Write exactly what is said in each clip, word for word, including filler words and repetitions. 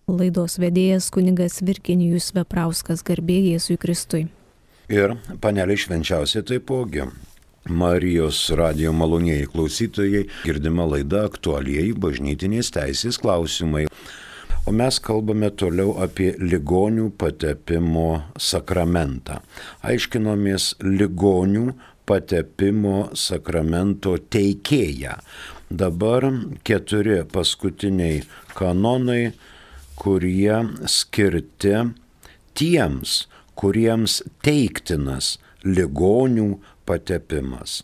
Laidos vedėjas kunigas Virginijus Veprauskas, garbė Jėzui Kristui. Ir panelė švenčiausia taipogi. Marijos radijo malonieji klausytojai, girdima laida aktualieji bažnytinės teisės klausimai. O mes kalbame toliau apie ligonių patepimo sakramentą. Aiškinomės ligonių patepimo sakramento teikėją. Dabar keturi paskutiniai kanonai, kurie skirti tiems, kuriems teiktinas ligonių patepimas.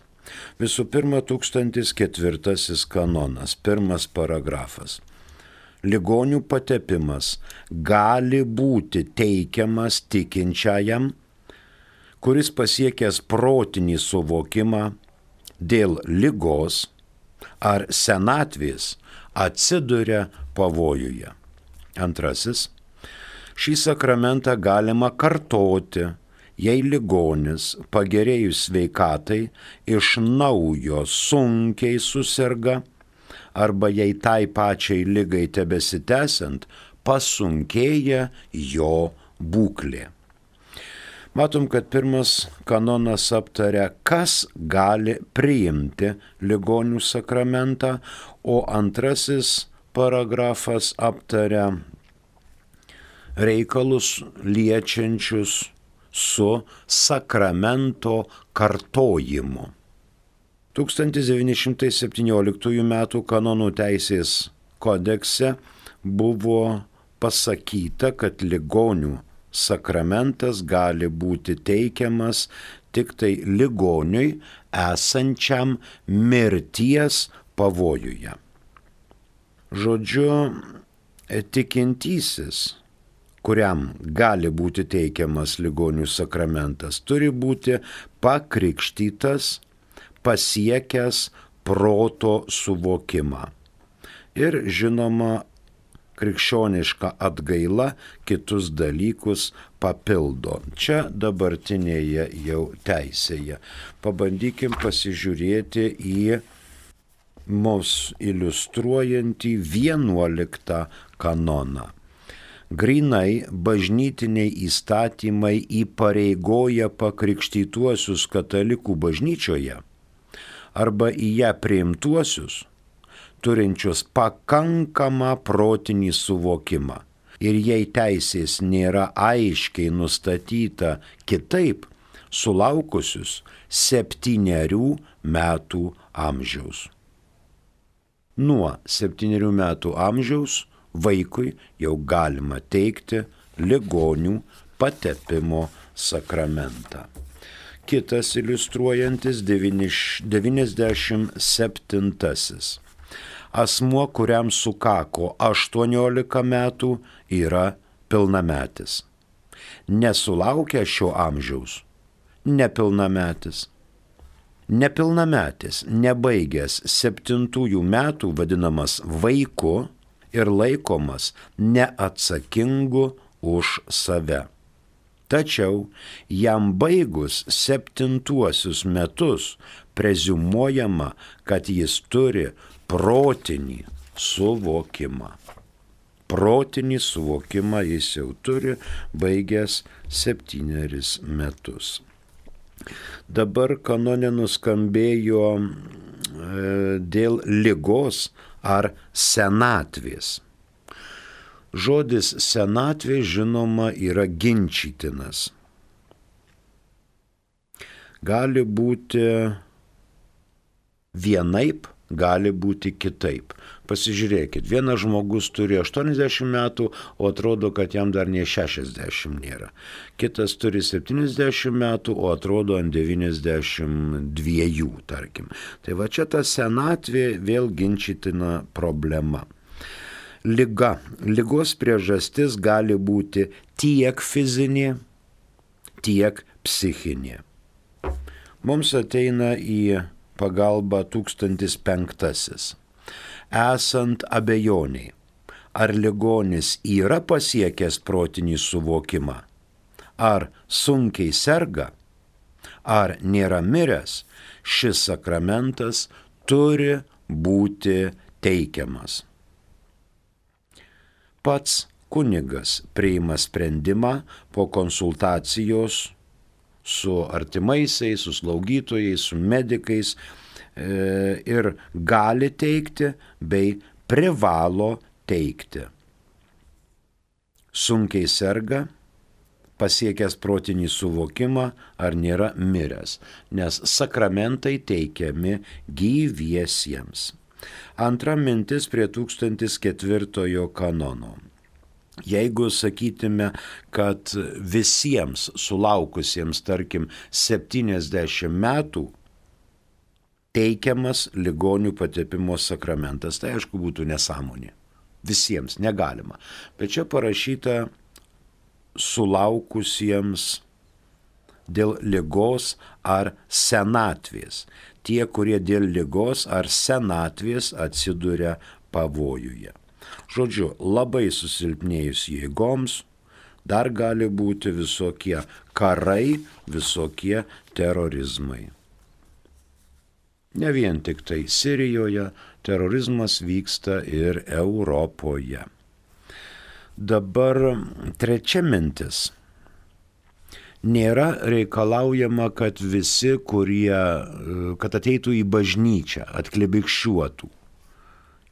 Visų pirma, tūkstantis ketvirtasis kanonas, pirmas paragrafas. Ligonių patepimas gali būti teikiamas tikinčiajam, kuris pasiekęs protinį suvokimą dėl ligos ar senatvės atsiduria pavojuje. Antrasis. Šį sakramentą galima kartoti, jei ligonis pagerėjus sveikatai iš naujo sunkiai suserga arba jei tai pačiai ligai tebesitęsiant pasunkėja jo būklė. Matom, kad pirmas kanonas aptaria, kas gali priimti ligonių sakramentą, o antrasis paragrafas aptaria reikalus liečiančius su sakramento kartojimu. tūkstantis devyni šimtai septynioliktųjų metų kanonų teisės kodekse buvo pasakyta, kad ligonių sakramentas gali būti teikiamas tik tai ligoniui esančiam mirties pavojuje. Žodžiu, tikintysis, kuriam gali būti teikiamas ligonių sakramentas, turi būti pakrikštytas, pasiekęs proto suvokimą. Ir žinoma, krikščioniška atgaila kitus dalykus papildo. Čia dabartinėje jau teisėje. Pabandykim pasižiūrėti į mus iliustruojantį vienuoliktą kanoną. Grynai bažnytiniai įstatymai įpareigoja pakrikštytuosius katalikų bažnyčioje arba į ją priimtuosius, turinčius pakankamą protinį suvokimą. Ir jei teisės nėra aiškiai nustatyta kitaip, sulaukusius septynerių metų amžiaus. Nuo septynerių metų amžiaus vaikui jau galima teikti ligonių patepimo sakramentą. Kitas iliustruojantis devyniasdešimt septintasis. Asmuo, kuriam sukako aštuoniolika metų, yra pilnametis. Nesulaukęs šio amžiaus, nepilnametis. Nepilnametis, nebaigęs septintųjų metų, vadinamas vaiku ir laikomas neatsakingu už save. Tačiau jam baigus septintuosius metus preziumuojama, kad jis turi protinį suvokimą. Protinį suvokimą jis jau turi baigęs septyneris metus. Dabar kanone nuskambėjo e, dėl ligos ar senatvės. Žodis senatvė, žinoma, yra ginčytinas. Gali būti vienaip, gali būti kitaip. Pasižiūrėkit, vienas žmogus turi aštuoniasdešimt metų, o atrodo, kad jam dar nie šešiasdešimt nėra. Kitas turi septyniasdešimt metų, o atrodo ant devyniasdešimt dviejų, tarkim. Tai va čia ta senatvė vėl ginčytina problema. Liga. Ligos priežastis gali būti tiek fizinė, tiek psichinė. Mums ateina į pagalbą tūkstantis penktasis. Esant abejoniai, ar ligonis yra pasiekęs protinį suvokimą, ar sunkiai serga, ar nėra miręs, šis sakramentas turi būti teikiamas. Pats Kunigas priima sprendimą po konsultacijos su artimaisiais, su slaugytojais, su medikais e, ir gali teikti bei privalo teikti. Sunkiai serga, pasiekęs protinį suvokimą ar nėra miręs, nes sakramentai teikiami gyviesiems. Antra mintis prie tūkstantis ketvirtojo kanono. Jeigu sakytume, kad visiems sulaukusiems, tarkim, septyniasdešimt metų teikiamas ligonių patepimo sakramentas, tai aišku būtų nesąmonė. Visiems negalima. Bet čia parašyta sulaukusiems dėl ligos ar senatvės. Tie, kurie dėl ligos ar senatvės atsiduria pavojuje. Žodžiu, labai susilpnėjus jėgoms, dar gali būti visokie karai, visokie terorizmai. Ne vien tik tai Sirijoje, terorizmas vyksta ir Europoje. Dabar trečia mintis. Nėra reikalaujama, kad visi, kurie, kad ateitų į bažnyčią, atklibikščiuotų.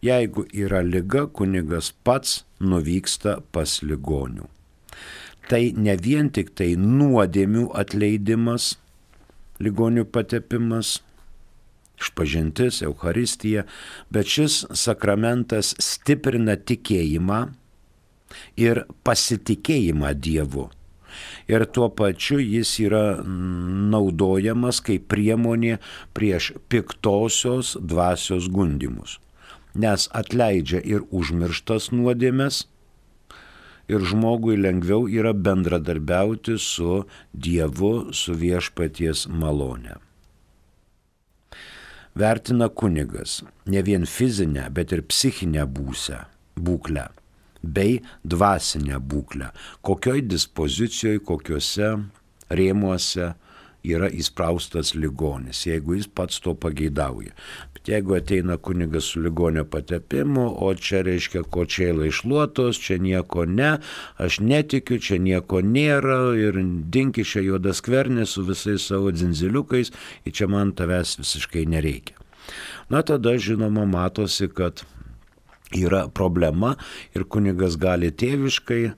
Jeigu yra liga, kunigas pats nuvyksta pas ligonių. Tai ne vien tik tai nuodėmių atleidimas, ligonių patepimas, išpažintis, Eucharistija, bet šis sakramentas stiprina tikėjimą ir pasitikėjimą Dievu. Ir tuo pačiu jis yra naudojamas kaip priemonė prieš piktosios dvasios gundymus. Nes atleidžia ir užmirštas nuodėmes, ir žmogui lengviau yra bendradarbiauti su Dievu, su viešpaties malone. Vertina kunigas ne vien fizinę, bet ir psichinę būsę, būklę, bei dvasinę būklę, kokioj dispozicijoje, kokiuose rėmuose yra įspraustas ligonis, jeigu jis pats to pageidauja. Bet jeigu ateina kunigas su ligonio patepimu, o čia reiškia kočėlai išluotos, čia nieko ne, aš netikiu, čia nieko nėra ir dinki čia juodas skvernis su visais savo dzinziliukais, ir čia man tavęs visiškai nereikia. Na tada žinoma matosi, kad yra problema ir kunigas gali tėviškai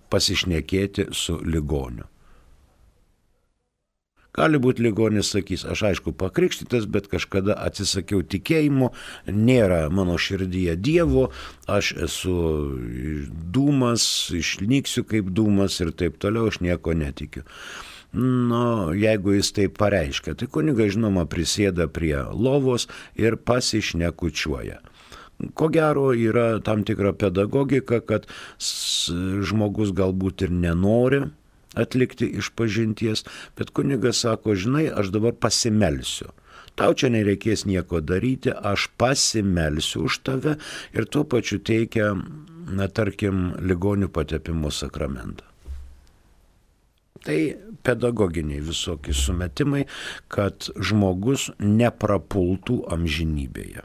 pasišnekėti su ligoniu. Gali būti ligonis sakys, aš aišku pakrikštytas, bet kažkada atsisakiau tikėjimo, nėra mano širdyje Dievo, aš esu dūmas, išnyksiu kaip dūmas ir taip toliau, aš nieko netikiu. Nu, jeigu jis taip pareiškia, tai kunigas žinoma prisėda prie lovos ir pasišnekučiuoja. Ko gero yra tam tikra pedagogika, kad žmogus galbūt ir nenori atlikti išpažinties, bet kunigas sako, žinai, aš dabar pasimelsiu. Tau čia nereikės nieko daryti, aš pasimelsiu už tave ir tuo pačiu teikia, na, tarkim, ligonių patepimo sakramentą. Tai pedagoginiai visokie sumetimai, kad žmogus neprapultų amžinybėje.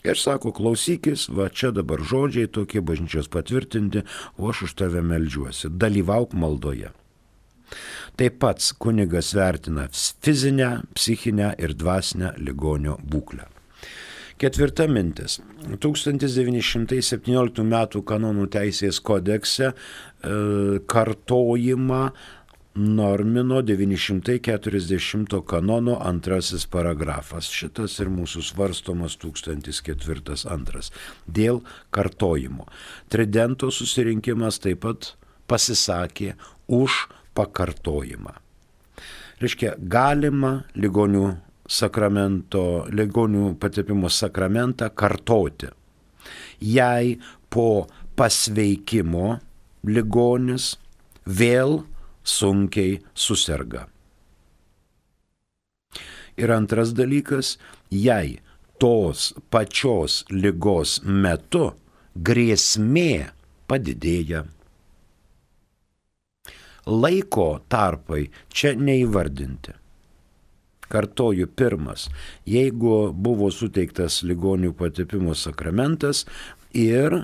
Ir sako, klausykis, va čia dabar žodžiai tokie bažnyčios patvirtinti, o aš už tave meldžiuosi, dalyvauk maldoje. Taip pat kunigas vertina fizinę, psichinę ir dvasinę ligonio būklę. Ketvirta mintis. tūkstantis devyni šimtai septynioliktų metų kanonų teisės kodekse e, kartojimą normino devyni šimtai keturiasdešimto kanono antrasis paragrafas. Šitas ir mūsų svarstomas tūkstantis ketvirtas antras. Dėl kartojimo. Tridento susirinkimas taip pat pasisakė už pakartojimą. Reiškia, galima ligonių sakramento, ligonių patepimo sakramentą kartoti. Jei po pasveikimo ligonis vėl sunkiai suserga. Ir antras dalykas, jei tos pačios ligos metu grėsmė padidėja. Laiko tarpai čia neįvardinti. Kartoju, pirmas, jeigu buvo suteiktas ligonių patepimo sakramentas ir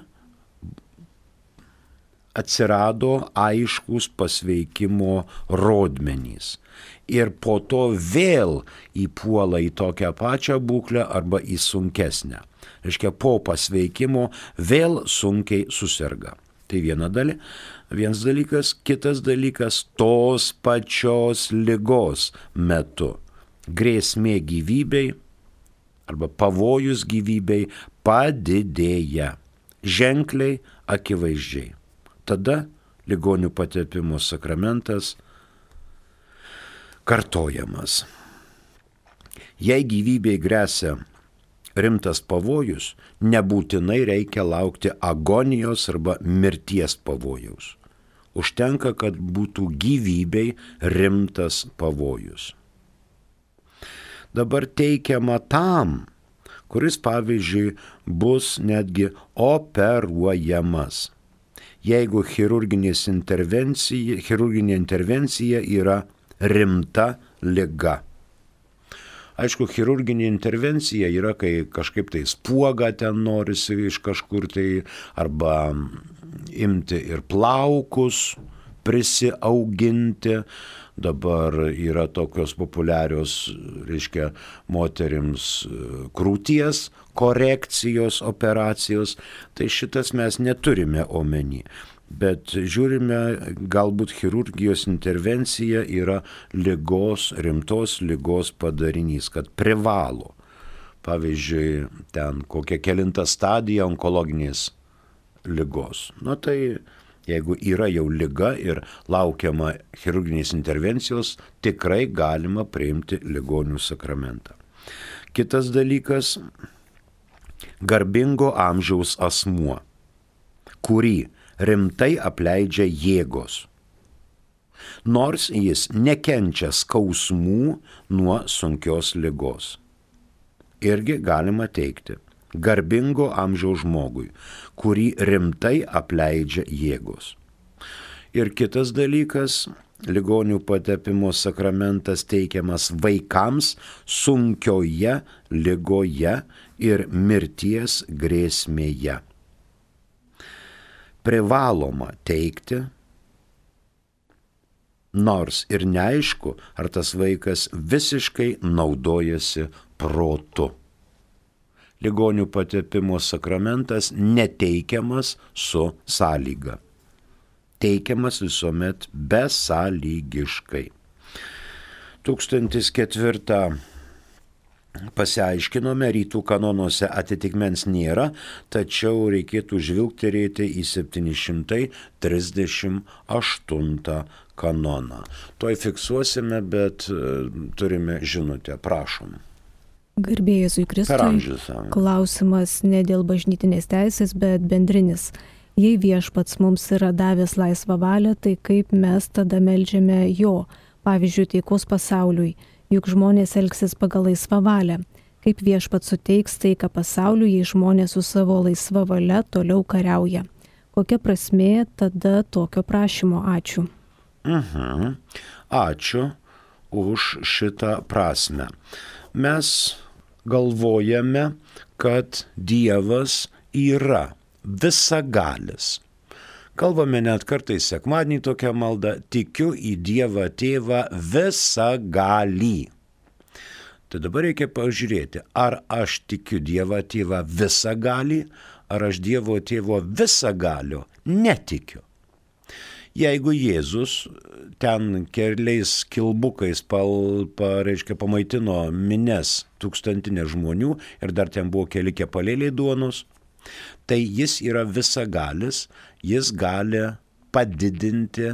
atsirado aiškus pasveikimo rodmenys. Ir po to vėl įpuola į tokią pačią būklę arba į sunkesnę. Reiškia, po pasveikimo vėl sunkiai susirga. Tai viena dalis. Vienas dalykas, kitas dalykas, tos pačios ligos metu grėsmė gyvybei arba pavojus gyvybei padidėja ženkliai, akivaizdžiai. Tada ligonių patepimo sakramentas kartojamas. Jei gyvybei gresia rimtas pavojus, nebūtinai reikia laukti agonijos arba mirties pavojaus. Užtenka, kad būtų gyvybei rimtas pavojus. Dabar teikiama tam, kuris, pavyzdžiui, bus netgi operuojamas, jeigu chirurginės intervencija, chirurginė intervencija yra rimta liga. Aišku, chirurginė intervencija yra, kai kažkaip tai spuogą ten norisi iš kažkur tai, arba imti ir plaukus prisiauginti. Dabar yra tokios populiarios, reiškia, moterims krūties korekcijos operacijos. Tai šitas mes neturime omeny. Bet žiūrime, galbūt chirurgijos intervencija yra ligos, rimtos ligos padarinys, kad privalo. Pavyzdžiui, ten kokia kelinta stadija onkologinės ligos. Na tai jeigu yra jau liga ir laukiama chirurginės intervencijos, tikrai galima priimti ligonių sakramentą. Kitas dalykas, garbingo amžiaus asmuo, kurį rimtai apleidžia jėgos, nors jis nekenčia skausmų nuo sunkios ligos. Irgi galima teikti, garbingo amžiaus žmogui, kurį rimtai apleidžia jėgos. Ir kitas dalykas, ligonių patepimo sakramentas teikiamas vaikams sunkioje ligoje ir mirties grėsmėje. Privaloma teikti, nors ir neaišku, ar tas vaikas visiškai naudojasi protu. Ligonių patepimo sakramentas neteikiamas su sąlyga. Teikiamas visuomet besąlygiškai. Tūkstantis ketvirtą pasiaiškinome, rytų kanonuose atitikmens nėra, tačiau reikėtų žvilgterėti į septyni šimtai trisdešimt aštuntą kanoną. Tuoj fiksuosime, bet turime žinutę, prašom. Garbė Jėzui Kristui, klausimas ne dėl bažnytinės teisės, bet bendrinis. Jei viešpats mums yra davęs laisvą valią, tai kaip mes tada meldžiame jo, pavyzdžiui, taikos pasauliui, juk žmonės elgsis pagal laisvą valią. Kaip viešpats suteiks taiką pasauliui, jei žmonės su savo laisva valia toliau kariauja. Kokia prasmė tada tokio prašymo? Ačiū. Mhm. Ačiū už šitą prasmę. Mes galvojame, kad Dievas yra visagalis. Kalbame net kartais sekmadienį tokią maldą, tikiu į Dievą Tėvą visagalį. Tai dabar reikia pažiūrėti, ar aš tikiu Dievą Tėvą visagalį, ar aš Dievo Tėvo visagalio netikiu. Jeigu Jėzus ten keliais kilbukais pal, pa, reiškia, pamaitino mines tūkstantinę žmonių ir dar ten buvo keli kepalėliai duonos, tai jis yra visagalis, jis gali padidinti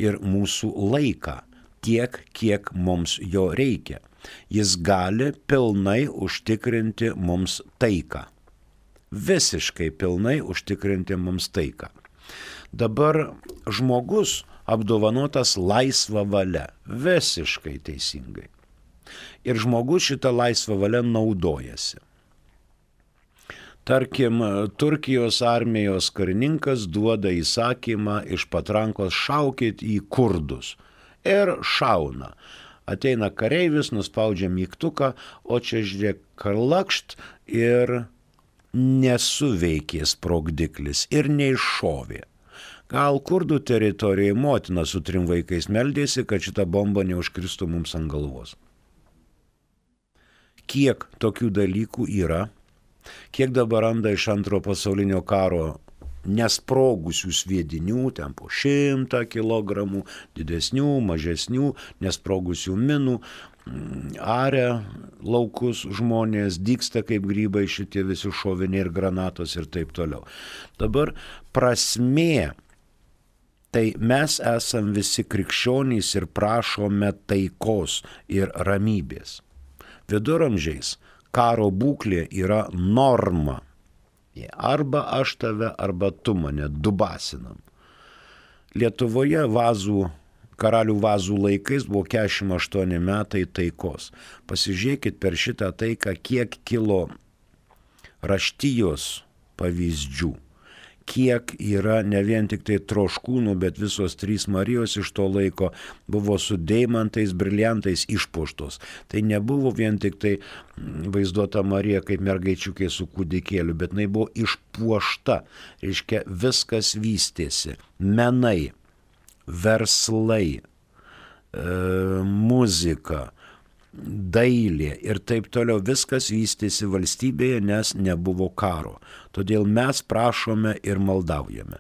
ir mūsų laiką tiek, kiek mums jo reikia. Jis gali pilnai užtikrinti mums taiką. Visiškai pilnai užtikrinti mums taiką. Dabar žmogus apdovanotas laisva valia, visiškai teisingai. Ir žmogus šitą laisvą valią naudojasi. Tarkim, Turkijos armijos karininkas duoda įsakymą iš patrankos šaukit į kurdus. Ir šauna. Ateina kareivis, nuspaudžia mygtuką, o čia žiūrėk karlakšt ir nesuveikė sprogdiklis ir neiššovė. Gal kurdų teritorijoje motina su trim vaikais meldėsi, kad šita bomba neužkristų mums ant galvos. Kiek tokių dalykų yra, kiek dabar randa iš antro pasaulinio karo nesprogusių sviedinių, ten po šimtą kilogramų, didesnių, mažesnių, nesprogusių minų, aria laukus žmonės, dygsta kaip grybai šitie visi šoviniai ir granatos ir taip toliau. Dabar prasmė, tai mes esam visi krikščionys ir prašome taikos ir ramybės. Viduramžiais karo būklė yra norma. Arba aš tave, arba tu mane dubasinam. Lietuvoje vazų, karalių vazų laikais buvo keturiasdešimt aštuoni metai taikos. Pasižiūrėkit per šitą taiką, kiek kilo raštijos pavyzdžių. Kiek yra ne vien tik tai troškūnų, bet visos trys Marijos iš to laiko buvo su deimantais, briliantais išpuoštos. Tai nebuvo vien tik tai vaizduota Marija kaip mergaičiukė su kūdikėliu, bet jinai buvo išpuošta. Reiškia, viskas vystėsi. Menai, verslai, e, muzika, dailė ir taip toliau, viskas vystėsi valstybėje, nes nebuvo karo. Todėl mes prašome ir maldaujame.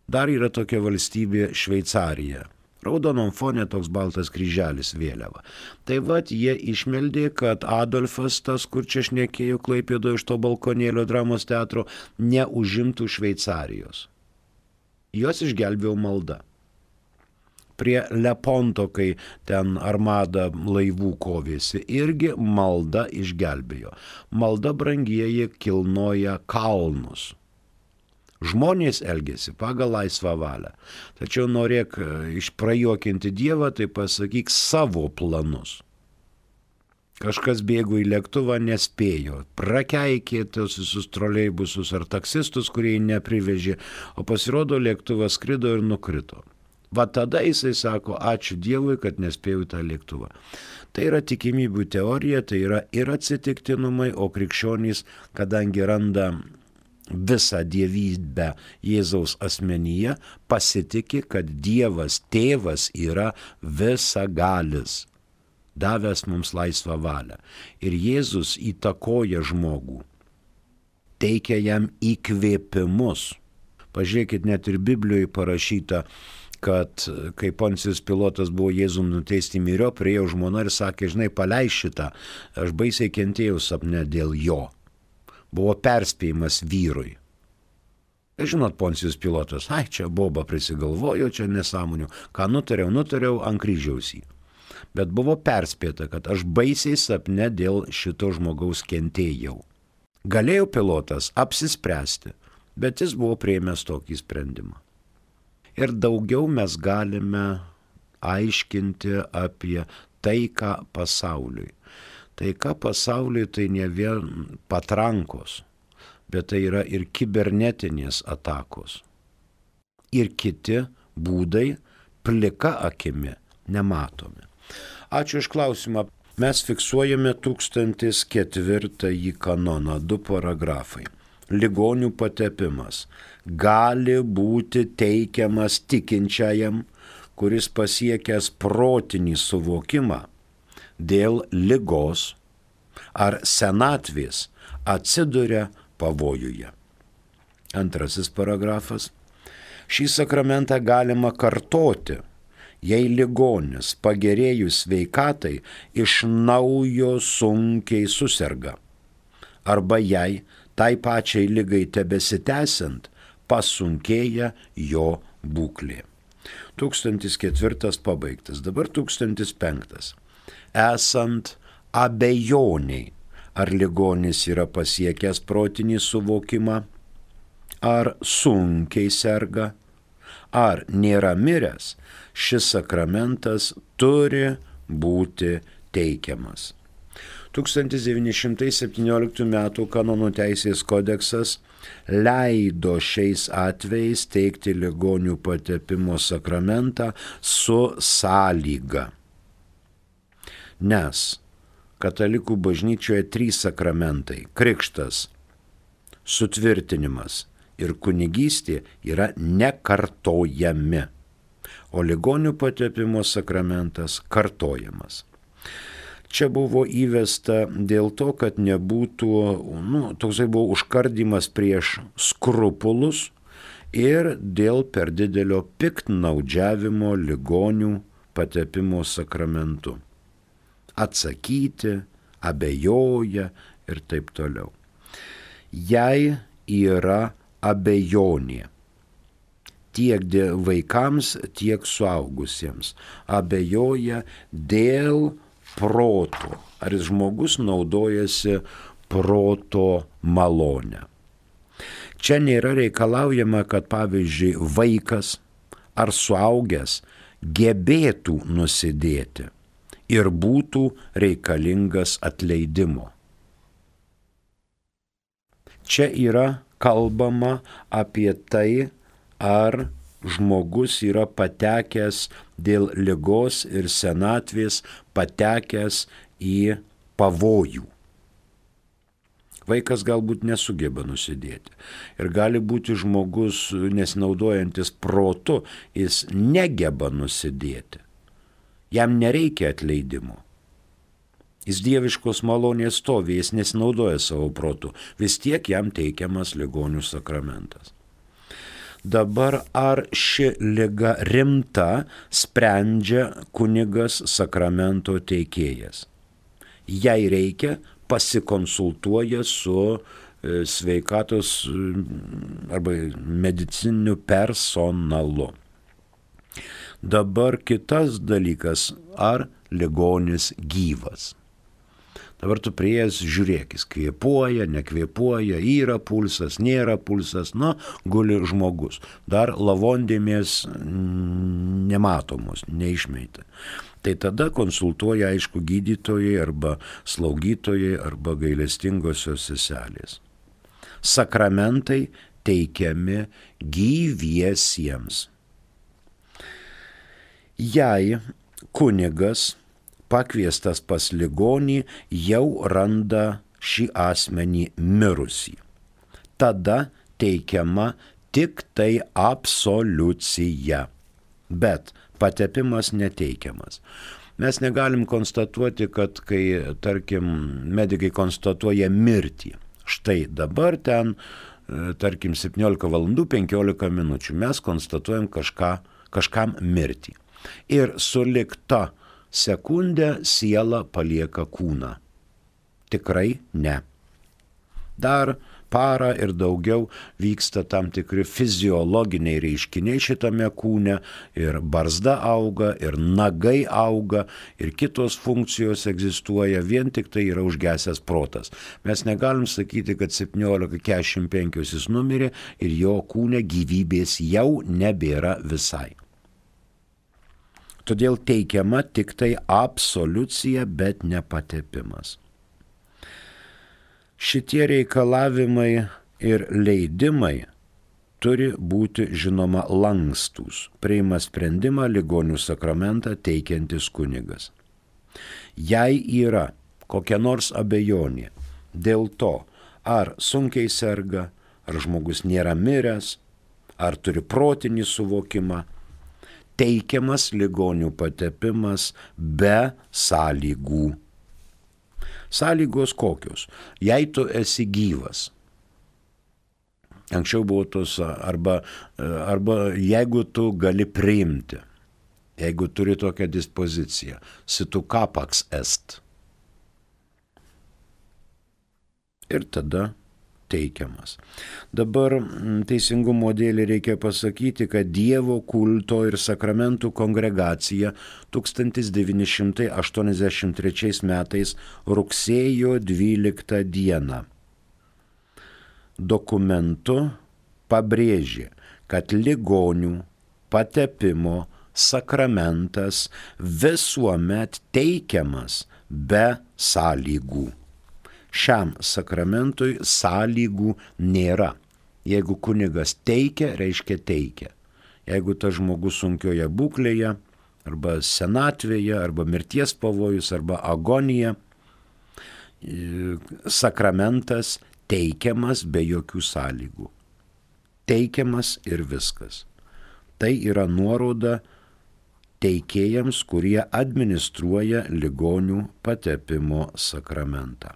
Dar yra tokia valstybė Šveicarija. Raudonom fone toks baltas kryželis vėliava. Tai vat jie išmeldė, kad Adolfas, tas, kur čia šnekėjo Klaipėdoje iš to balkonėlio dramos teatro, neužimtų Šveicarijos. Jos išgelbėjo malda. Prie Leponto, kai ten armada laivų kovėsi, irgi malda išgelbėjo. Malda, brangieji, kilnoja kalnus. Žmonės elgėsi pagal laisvą valią. Tačiau norėk išprajuokinti Dievą, tai pasakyk savo planus. Kažkas bėgo į lėktuvą, nespėjo. Prakeikė tos visus troleibusus ar taksistus, kurie jį neprivežė, o pasirodo lėktuvas skrido ir nukrito. Va tada jisai sako, ačiū Dievui, kad nespėjau tą lėktuvą. Tai yra tikimybių teorija, tai yra ir atsitiktinumai, o krikščionys, kadangi randa visą dievybę Jėzaus asmenyje, pasitiki, kad Dievas tėvas yra visagalis, davęs mums laisvą valią. Ir Jėzus įtakoja žmogų, teikia jam įkvėpimus. Pažiūrėkit, net ir Biblijoje parašyta, kad kai Poncijus Pilotas buvo Jėzum nuteisti myriop, priėjo žmona ir sakė, žinai, paleis šitą, aš baisiai kentėjau sapne dėl jo. Buvo perspėjimas vyrui. Ir žinot, Poncijus Pilotas, ai, čia boba prisigalvojo, čia nesąmonių, ką nutariau, nutariau ant kryžiaus jį. Bet buvo perspėta, kad aš baisiai sapne dėl šito žmogaus kentėjau. Galėjo Pilotas apsispręsti, bet jis buvo priėmęs tokį sprendimą. Ir daugiau mes galime aiškinti apie taiką pasauliui. Taika pasauliui tai ne vien patrankos, bet tai yra ir kibernetinės atakos. Ir kiti būdai plika akimi nematomi. Ačiū iš klausimą. Mes fiksuojame tūkstantis ketvirtąjį kanoną, du paragrafai. Ligonių patepimas gali būti teikiamas tikinčiajam, kuris pasiekęs protinį suvokimą dėl ligos ar senatvės atsiduria pavojuje. Antrasis paragrafas. Šį sakramentą galima kartoti, jei ligonis pagerėjus sveikatai iš naujo sunkiai suserga, arba jei tai pačiai ligai tebesitęsiant pasunkėja jo būklė. Tūkstantis ketvirtas pabaigtas, dabar tūkstantis penktas. Esant abejoniai, ar ligonis yra pasiekęs protinį suvokimą, ar sunkiai serga, ar nėra miręs, šis sakramentas turi būti teikiamas. tūkstantis devyni šimtai septynioliktų metų kanonų teisės kodeksas leido šiais atvejais teikti ligonių patepimo sakramentą su sąlyga. Nes katalikų bažnyčioje trys sakramentai – krikštas, sutvirtinimas ir kunigystė yra nekartojami, o ligonių patepimo sakramentas kartojamas. Čia buvo įvesta dėl to, kad nebūtų, nu, toksai buvo užkardymas prieš skrupulus ir dėl per didelio piktnaudžiavimo ligonių patepimo sakramentu. Atsakyti, abejoja ir taip toliau. Jei yra abejonė, tiek vaikams, tiek suaugusiems, abejoja dėl proto, ar žmogus naudojasi proto malonę. Čia nėra reikalaujama, kad pavyzdžiui vaikas ar suaugęs gebėtų nusidėti ir būtų reikalingas atleidimo. Čia yra kalbama apie tai, ar žmogus yra patekęs dėl ligos ir senatvės, patekęs į pavojų. Vaikas galbūt nesugeba nusidėti. Ir gali būti žmogus, nesinaudojantis protu, jis negeba nusidėti. Jam nereikia atleidimo. Jis dieviškos malonės stovi, jis nesinaudoja savo protu. Vis tiek jam teikiamas ligonių sakramentas. Dabar ar ši liga rimta, sprendžia kunigas sakramento teikėjas. Jei reikia, pasikonsultuoja su sveikatos arba medicininiu personalu. Dabar kitas dalykas, ar ligonis gyvas. Dabar tu prieėjęs žiūrėk, jis kvėpuoja, nekvėpuoja, yra pulsas, nėra pulsas, na, guli žmogus. Dar lavondėmės nematomos, neišmeita. Tai tada konsultuoja, aišku, gydytojai arba slaugytojai arba gailestingosios seselės. Sakramentai teikiami gyviesiems. Jei kunigas pakviestas pas ligonį jau randa šį asmenį mirusį, tada teikiama tik tai absoliucija, bet patepimas neteikiamas. Mes negalim konstatuoti, kad kai, tarkim, medikai konstatuoja mirtį, štai dabar ten, tarkim, septyniolika valandų penkiolika minučių, mes konstatuojam kažką, kažkam mirtį. Ir sulig ta sekundę siela palieka kūną. Tikrai ne. Dar parą ir daugiau vyksta tam tikri fiziologiniai reiškiniai šitame kūne, ir barzda auga, ir nagai auga, ir kitos funkcijos egzistuoja, vien tik tai yra užgesęs protas. Mes negalim sakyti, kad septyniolika keturiasdešimt penki jis numirė ir jo kūne gyvybės jau nebėra visai. Todėl teikiama tik tai absoliucija, bet ne patepimas. Šitie reikalavimai ir leidimai turi būti, žinoma, lankstūs, priima sprendimą ligonių sakramentą teikiantis kunigas. Jei yra kokia nors abejonė dėl to, ar sunkiai serga, ar žmogus nėra miręs, ar turi protinį suvokimą, teikiamas ligonių patepimas be sąlygų. Sąlygos kokios? Jei tu esi gyvas, anksčiau buvo tos, arba, arba jeigu tu gali priimti, jeigu turi tokią dispoziciją, situ capax est. Ir tada teikiamas. Dabar teisingumo dėlį reikia pasakyti, kad Dievo kulto ir sakramentų kongregacija tūkstantis devyni šimtai aštuoniasdešimt trečiais metais rugsėjo dvyliktą dieną dokumentu pabrėžė, kad ligonių patepimo sakramentas visuomet teikiamas be sąlygų. Šiam sakramentui sąlygų nėra. Jeigu kunigas teikia, reiškia teikia. Jeigu tas žmogus sunkioje būklėje, arba senatvėje, arba mirties pavojus, arba agonija, sakramentas teikiamas be jokių sąlygų. Teikiamas ir viskas. Tai yra nuoroda teikėjams, kurie administruoja ligonių patepimo sakramentą.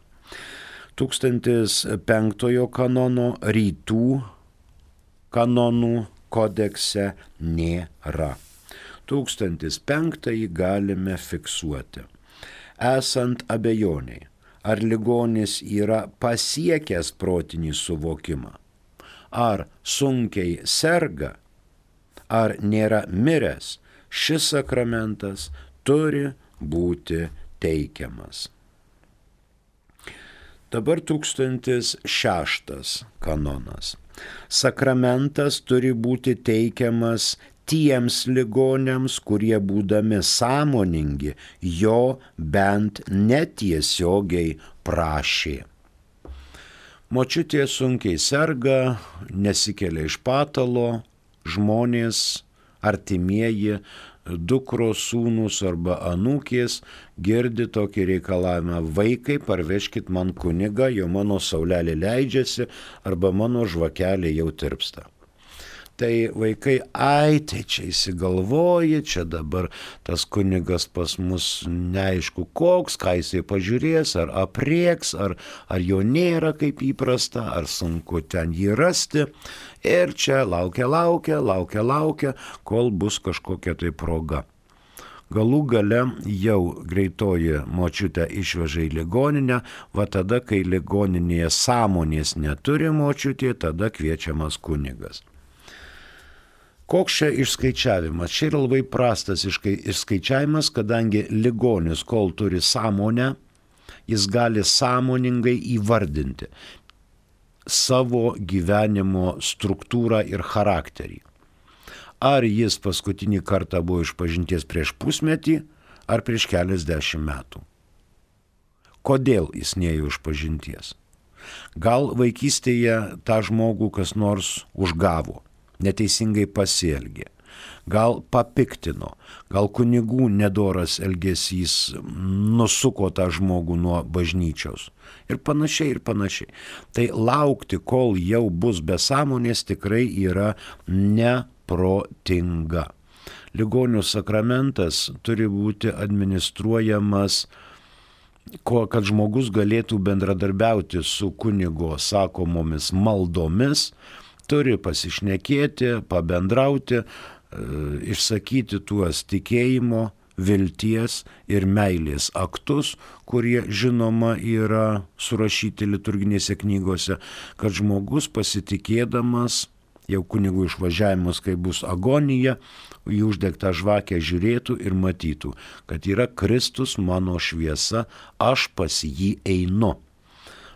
tūkstantis penktojo kanono rytų kanonų kodekse nėra. tūkstantis penktąjį galime fiksuoti. Esant abejoniai, ar ligonis yra pasiekęs protinį suvokimą, ar sunkiai serga, ar nėra miręs, šis sakramentas turi būti teikiamas. Dabar tūkstantis šeštas kanonas. Sakramentas turi būti teikiamas tiems ligoniams, kurie būdami sąmoningi jo bent netiesiogiai prašė. Močiutė sunkiai serga, nesikelia iš patalo, žmonės, artimieji, dukros, sūnus arba anūkės girdi tokį reikalavimą: vaikai, parvežkit man kunigą, jo mano saulelė leidžiasi arba mano žvakelė jau tirpsta. Tai vaikai, ai, tai čia įsigalvoja, čia dabar tas kunigas pas mus neaišku koks, ką jisai pažiūrės, ar aprieks, ar, ar jo nėra kaip įprasta, ar sunku ten jį rasti. Ir čia laukia, laukia, laukia, laukia, kol bus kažkokia tai proga. Galų gale jau greitoji močiutę išveža į ligoninę, va tada, kai ligoninėje sąmonės neturi močiutė, tada kviečiamas kunigas. Koks čia išskaičiavimas? Čia yra labai prastas išskaičiavimas, kadangi ligonis, kol turi sąmonę, jis gali sąmoningai įvardinti savo gyvenimo struktūrą ir charakterį. Ar jis paskutinį kartą buvo išpažinties prieš pusmetį, ar prieš keliasdešimt metų. Kodėl jis neėjo išpažinties? Gal vaikystėje tą žmogų kas nors užgavo, neteisingai pasielgė, gal papiktino, gal kunigų nedoras elgesys nusuko tą žmogų nuo bažnyčios ir panašiai ir panašiai. Tai laukti, kol jau bus be sąmonės, tikrai yra neprotinga. Ligonių sakramentas turi būti administruojamas, kad žmogus galėtų bendradarbiauti su kunigo sakomomis maldomis, turi pasišnekėti, pabendrauti, išsakyti tuos tikėjimo, vilties ir meilės aktus, kurie žinoma yra surašyti liturginėse knygose, kad žmogus pasitikėdamas jau kunigų išvažiavimus, kai bus agonija, į uždegtą žvakę žiūrėtų ir matytų, kad yra Kristus mano šviesa, aš pas jį einu.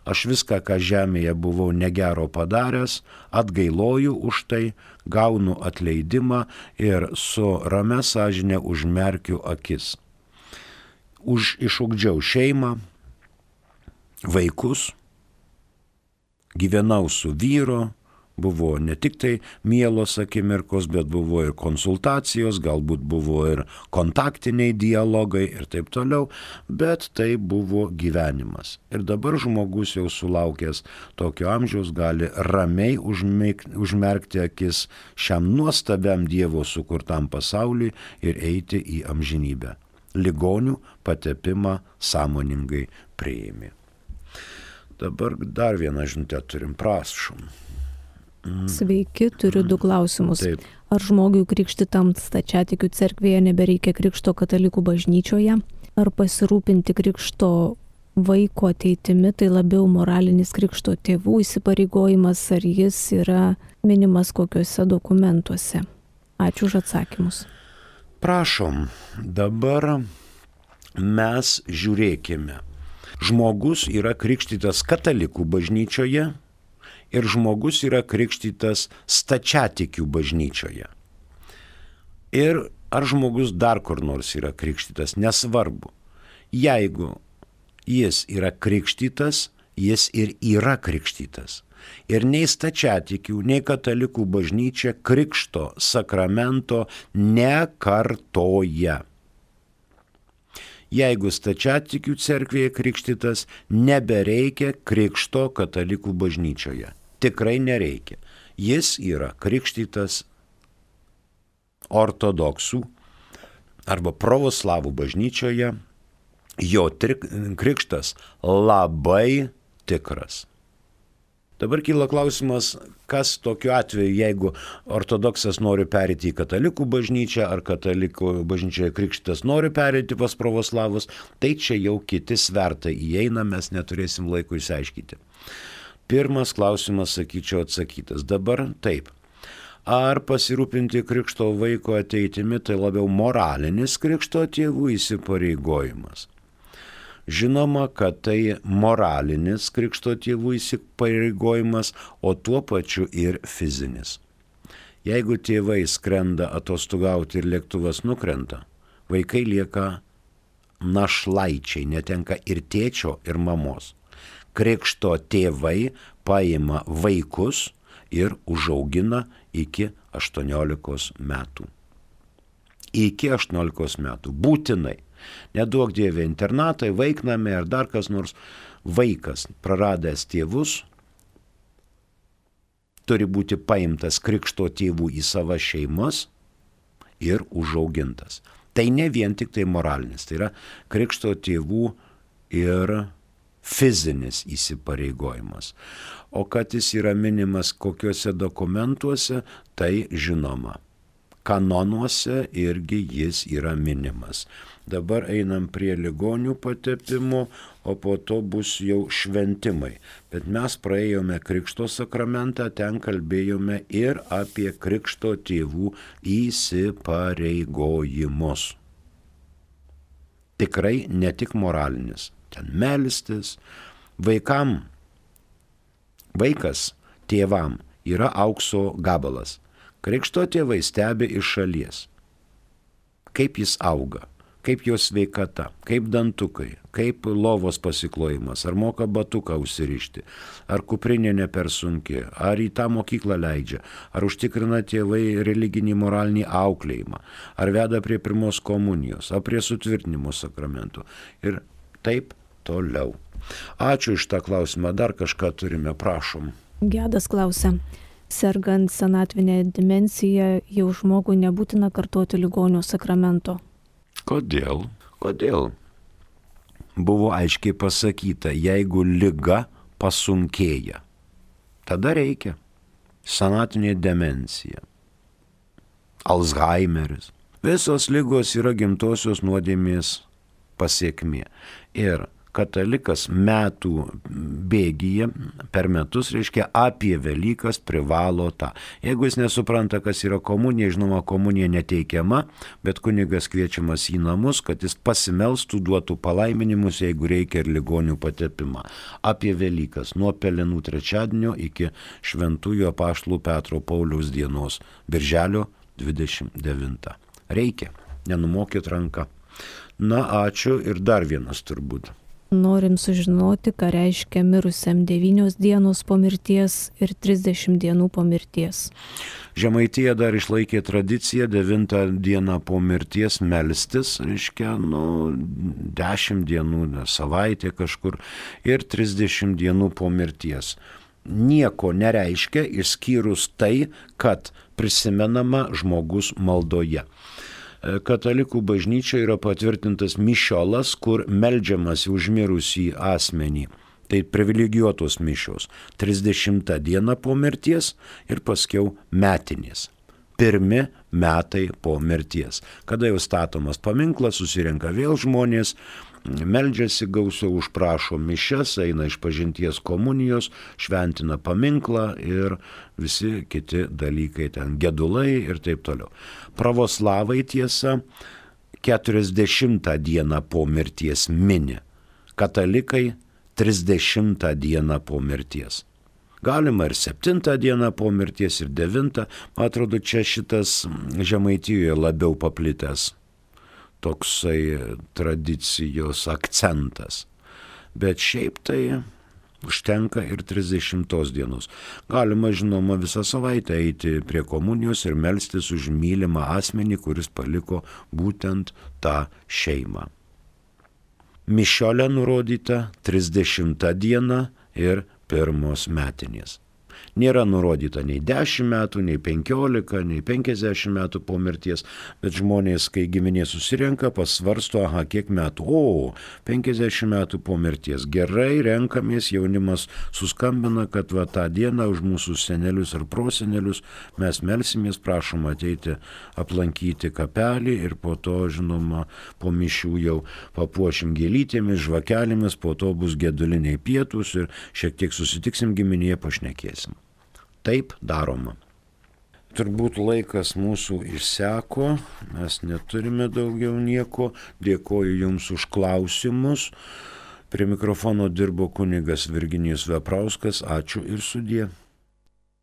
Aš viską, ką žemėje buvau negero padaręs, atgailoju už tai, gaunu atleidimą ir su ramia sąžine užmerkiu akis. Už išugdžiau šeimą, vaikus, gyvenau su vyru, buvo ne tik tai mielos akimirkos, bet buvo ir konsultacijos, galbūt buvo ir kontaktiniai dialogai ir taip toliau, bet tai buvo gyvenimas. Ir dabar žmogus jau sulaukęs tokio amžiaus gali ramiai užmerkti akis šiam nuostabiam Dievo sukurtam pasauliui ir eiti į amžinybę. Ligonių patepimą sąmoningai priėmė. Dabar dar vieną žinutę turim, prašom. Sveiki, turiu du klausimus. Taip. Ar žmogui krikštytam stačiatikių cerkvėje nebereikia krikšto katalikų bažnyčioje? Ar pasirūpinti krikšto vaiko ateitimi tai labiau moralinis krikšto tėvų įsipareigojimas, ar jis yra minimas kokiuose dokumentuose? Ačiū už atsakymus. Prašom, dabar mes žiūrėkime. Žmogus yra krikštytas katalikų bažnyčioje, ir žmogus yra krikštytas stačiatikių bažnyčioje. Ir ar žmogus dar kur nors yra krikštytas, nesvarbu. Jeigu jis yra krikštytas, jis ir yra krikštytas. Ir nei stačiatikių, nei katalikų bažnyčia krikšto sakramento nekartoja. Jeigu stačiatikių cerkvėje krikštytas, nebereikia krikšto katalikų bažnyčioje. Tikrai nereikia. Jis yra krikštytas ortodoksų arba pravoslavų bažnyčioje, jo trik, krikštas labai tikras. Dabar kyla klausimas, kas tokiu atveju, jeigu ortodoksas nori perėti į katalikų bažnyčią, ar katalikų bažnyčioje krikštytas nori perėti pas pravoslavus, tai čia jau kiti svertai įeina, mes neturėsim laiko išsiaiškinti. Pirmas klausimas, sakyčiau, atsakytas. Dabar taip. Ar pasirūpinti krikšto vaiko ateitimi tai labiau moralinis krikšto tėvų įsipareigojimas? Žinoma, kad tai moralinis krikšto tėvų įsipareigojimas, o tuo pačiu ir fizinis. Jeigu tėvai skrenda atostogauti ir lėktuvas nukrenta, vaikai lieka našlaičiai, netenka ir tėčio, ir mamos. Krikšto tėvai paima vaikus ir užaugina iki aštuoniolikos metų. Iki aštuoniolikos metų. Būtinai. Neduok Dieve internatai, vaiknami ar dar kas nors, vaikas praradęs tėvus turi būti paimtas krikšto tėvų į savo šeimas ir užaugintas. Tai ne vien tik tai moralinis, tai yra krikšto tėvų ir fizinis įsipareigojimas. O kad jis yra minimas kokiuose dokumentuose, tai žinoma. Kanonuose irgi jis yra minimas. Dabar einam prie ligonių patepimo, o po to bus jau šventimai. Bet mes praėjome krikšto sakramentą, ten kalbėjome ir apie krikšto tėvų įsipareigojimus. Tikrai ne tik moralinis. Ten melstis. Vaikam, vaikas tėvam yra aukso gabalas. Krikšto tėvai stebi iš šalies, kaip jis auga, kaip jo sveikata, kaip dantukai, kaip lovos pasiklojimas, ar moka batuką užsirišti, ar kuprinė ne per sunki, ar į tą mokyklą leidžia, ar užtikrina tėvai religinį moralinį auklėjimą, ar veda prie pirmos komunijos, ar prie sutvirtinimo sakramentų ir taip toliau. Ačiū iš tą klausimą, dar kažką turime, prašom. Gedas klausia. Sergant senatvinę demenciją, jau žmogui nebūtina kartoti ligonio sakramento. Kodėl? Kodėl? Buvo aiškiai pasakyta, jeigu liga pasunkėja, tada reikia. Senatinė demencija, Alzheimeris. Visos ligos yra gimtosios nuodėmės pasiekmė. Ir katalikas metų bėgyje per metus, reiškia, apie Velykas privalo tą. Jeigu jis nesupranta, kas yra komunija, žinoma, komunija neteikiama, bet kunigas kviečiamas į namus, kad jis pasimelstų, duotų palaiminimus, jeigu reikia, ir ligonių patepimą. Apie Velykas, nuo Pelenų trečiadienio iki Šventųjų apaštalų Petro Pauliaus dienos, birželio dvidešimt devintą. Reikia, nenumokit ranką. Na, ačiū ir dar vienas turbūt. Norim sužinoti, ką reiškia mirusiam devynios dienos po mirties ir trisdešimt dienų po mirties. Žemaitija dar išlaikė tradiciją devintą dieną po mirties melstis, reiškia, nu, dešimt dienų, savaitė kažkur ir trisdešimt dienų po mirties. Nieko nereiškia, išskyrus tai, kad prisimenama žmogus maldoje. Katalikų bažnyčia yra patvirtintas mišiolas, kur meldžiamas už mirusį asmenį. Tai privilegijuotos mišios. trisdešimtą dieną po mirties ir paskiau metinės. Pirmi metai po mirties. Kada jau statomas paminklas, susirenka vėl žmonės, meldžiasi gausiau, užprašo mišias, eina iš pažinties komunijos, šventina paminklą ir visi kiti dalykai, ten gedulai ir taip toliau. Pravoslavai tiesa keturiasdešimtą dieną po mirties mini, katalikai trisdešimtą dieną po mirties. Galima ir septintą dieną po mirties, ir devintą, man atrodo, čia šitas Žemaitijoje labiau paplitęs toksai tradicijos akcentas. Bet šiaip tai užtenka ir trisdešimtos dienos. Galima, žinoma, visą savaitę eiti prie komunijos ir melstis už mylimą asmenį, kuris paliko būtent tą šeimą. Mišiolė nurodyta trisdešimtą dieną ir pirmos metinės. Nėra nurodyta nei dešimt metų, nei penkiolika, nei penkiasdešimt metų po mirties, bet žmonės, kai giminė susirenka, pasvarsto, aha, kiek metų, o, penkiasdešimt metų po mirties. Gerai, renkamės, jaunimas suskambina, kad va tą dieną už mūsų senelius ar prosenelius mes melsimės, prašom ateiti aplankyti kapelį ir po to, žinoma, po mišių jau papuošim gėlytėmis, žvakelėmis, po to bus geduliniai pietūs ir šiek tiek susitiksim giminėje, pašnekėsim. Taip daroma. Turbūt laikas mūsų išseko, mes neturime daugiau nieko. Dėkoju Jums už klausimus. Prie mikrofono dirbo kunigas Virginijus Veprauskas. Ačiū ir sudie.